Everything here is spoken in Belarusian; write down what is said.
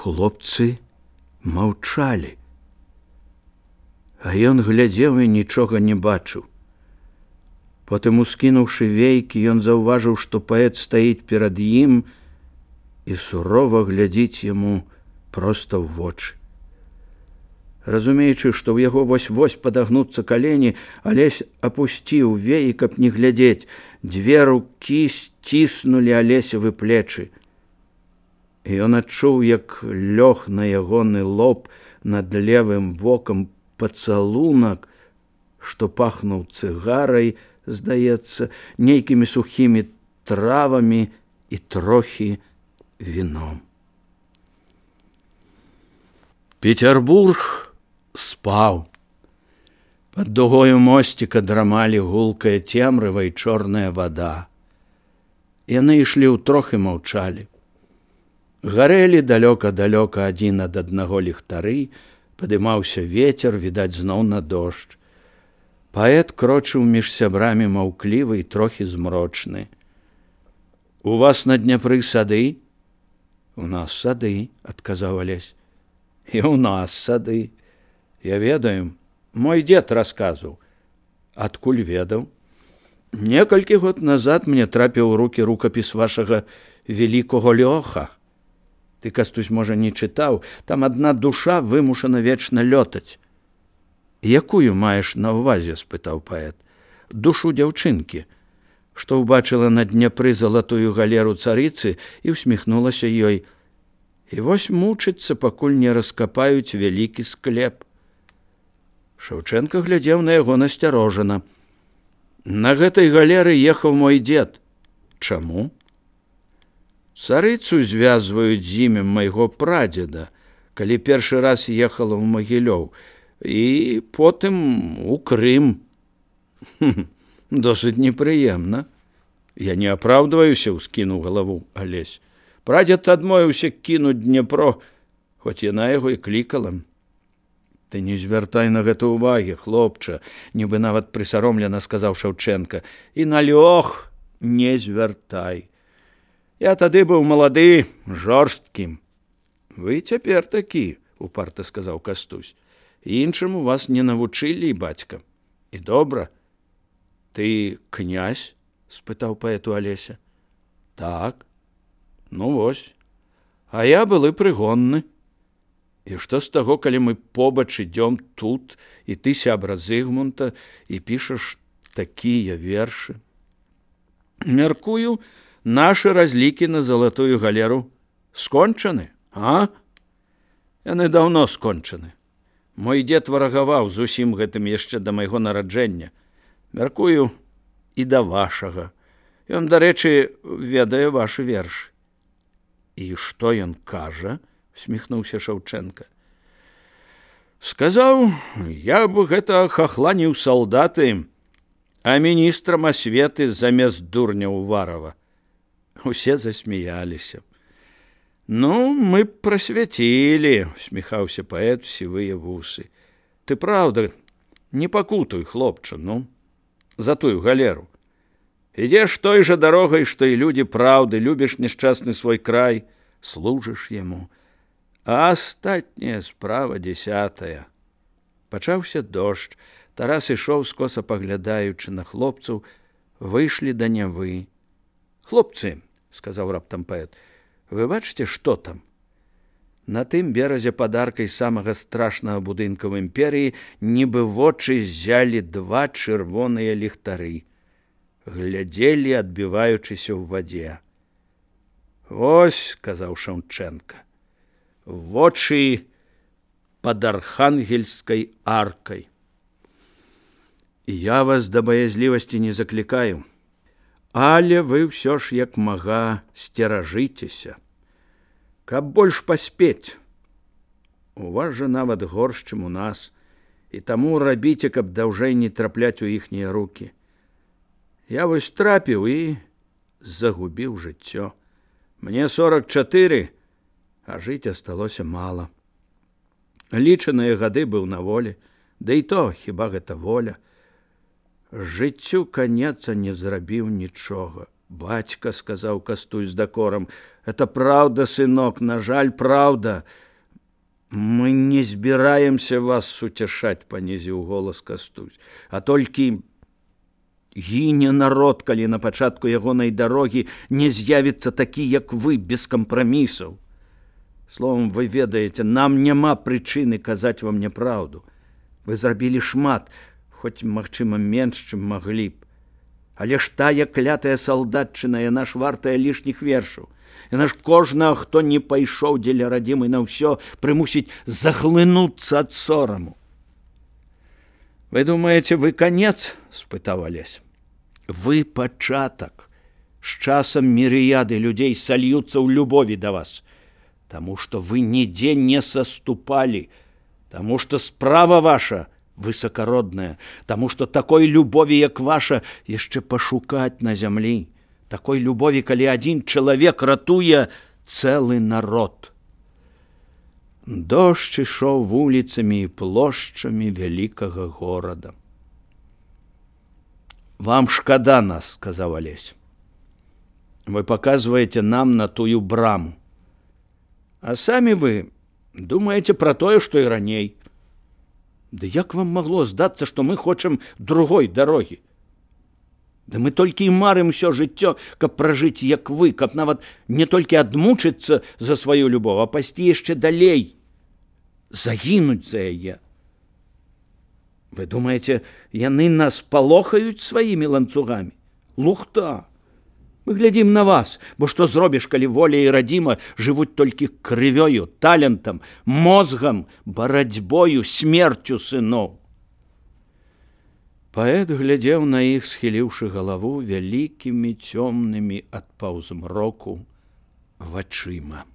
Хлопцы маўчалі. А ён глядзеў і нічога не бачыў. Потым, ускінуўшы вейкі, ён заўважыў, што паэт стаіць перад ім і сурова глядзіць яму проста ў вочы. Разумеючы, што ў яго вось-вось падагнуцца калені, Алесь апусціў веі, каб не глядзець. Дзве рукі сціснулі Алесевы плечы. І ён адчуў, як лёг на ягоны лоб над левым вокам пацалунак, што пахнуў цыгарай, здаецца, нейкімі сухімі травамі і трохі віном. Петербург спаў. Пад дугою мосціка драмалі гулкая цемрыва і чорная вада. Яны ішлі ўтрох і маўчалі. Гарэлі далёка-далёка адзін ад аднаго ліхтары, падымаўся вецер, відаць, зноў на дождж. Паэт крочыў між сябрамі маўклівы і трохі змрочны. У вас на Дняпры сады? У нас сады, адказаў Алесь. І у нас сады. Я ведаю, мой дзед расказваў. Адкуль ведаў? Некалькі год назад мне трапіў у рукі рукапіс вашага великого Лёха. Ты, Кастусь, можа, не чытаў, там адна душа вымушана вечна лётаць. Якую маеш на ўвазе, спытаў паэт. Душу дзяўчынкі, што ўбачыла на Дняпры залатую галеру царыцы і усміхнулася ёй. І вось мучыцца, пакуль не раскапаюць вялікі склеп. Шаўчэнка глядзеў на яго насцярожана. На гэтай галеры ехаў мой дзед. Чаму? Царыцу звязваюць з імем майго прадзеда, калі першы раз ехала ў Магілёў, і потым у Крым. Досыць непрыемна. Я не апраўдваюся, ускінуў галаву Алесь. Прадзед адмовіўся кінуць Днепро, хоць яна яго і клікала. Ты не звяртай на гэта ўвагі, хлопча, нібы нават прысаромлена сказаў Шаўчэнка. І на Лёх не звяртай. Я тады быў малады, жорсткім. Вы цяпер такі, упарта сказаў Кастусь. Іншаму вас не навучылі, бацька. І добра. Ты князь? Спытаў паэту Алеся. Так. Ну вось. А я былы прыгонны. І што з таго, калі мы побач ідём тут, і ты сябра Зыгмунта, і пішаш такія вершы? Мяркую, нашы разлікі на залатую галеру скончаны, а? Яны даўно скончаны. Мой дзед варагаваў з усім гэтым яшчэ да майго нараджэння. Мяркую, і да вашага. Ён, дарэчы, ведае вашы вершы. І што ён кажа? Усміхнуўся Шаўчэнка. Сказаў, я б гэта хахланіў салдаты, а міністрам асветы замест дурня Уварова. Усе засміяліся. Ну, мы прасвяцілі, усміхаўся паэт сівыя вусы. Ты праўда, не пакутуй, хлопча, ну, за тую галеру. Ідзеш той жа дарогай, што і людзі праўды, любіш няшчасны свой край, служыш яму. А астатняя справа 10. Пачаўся дождж. Тарас ішоў, скоса паглядаючы на хлопцаў, выйшлі да Нявы. Хлопцы, сказаў раптам паэт, вы бачыце, што там? На тым беразе пад аркай самага страшнага будынка ў імперыі нібы вочы ззялі два чырвоныя ліхтары. Глядзелі, адбіваючыся ў вадзе. Вось, сказаў Шаўчэнка, вочы пад архангельскай аркай. Я вас да баязлівасці не заклікаю, але вы ўсё ж як мага сцеражыцеся, каб больш паспець. У вас жа нават горш, чым у нас, і таму рабіце, каб даўжэй не трапляць у іхнія рукі. Я вось трапіў і загубіў жыццё. Мне 44, а жыць асталося мала. Лічаныя гады быў на волі, да і то хіба гэта воля. Жыццю канец, а не зрабіў нічога. Бацька, — сказаў Кастусь з дакорам, — это праўда, сынок, на жаль, праўда. Мы не збіраемся вас суцяшаць, — панізіў голас Кастусь, — а толькі гіне народ, калі на пачатку ягонай дарогі не з'явіцца такі, як вы, без кампрамісаў. Словом, вы ведаеце, нам няма прычыны казаць вам няпраўду. Вы зрабілі шмат, хоць, магчыма, менш, чым маглі б. Але ж тая клятая салдатчына, яна ж вартая лішніх вершаў. Яна ж кожнага, хто не пайшоў дзеля радзімы на ўсё, прымусіць заглынуцца ад сораму. Вы думаеце, вы канец? — спытаў Алесь. Вы пачатак. З часам мірыяды людзей сольюцца ў любові да вас. Таму што вы нідзе не саступалі, таму што справа ваша высакародная, таму што такой любові, як ваша, яшчэ пашукаць на зямлі. Такой любові, калі адзін чалавек ратуе цэлы народ. Дождж ішоў вуліцамі і плошчамі вялікага горада. Вам шкада нас, — сказаў Алесь. Вы паказваеце нам на тую браму. А самі вы думаеце пра тое, што і раней. Да як вам магло здацца, што мы хочам другой дарогі? Да мы толькі і марым усё жыццё, каб пражыць, як вы, каб нават не толькі адмучыцца за сваю любоў, а пайсці яшчэ далей, загінуць за яе. Вы думаеце, яны нас палохаюць сваімі ланцугамі? Лухта! Мы глядзім на вас, бо што зробіш, калі воля і радзіма жывуць толькі крывёю, талентам, мозгам, барацьбою, смерцю сыноў. Паэт глядзеў на іх, схіліўшы галаву вялікімі цёмнымі ад паўзмроку вачыма.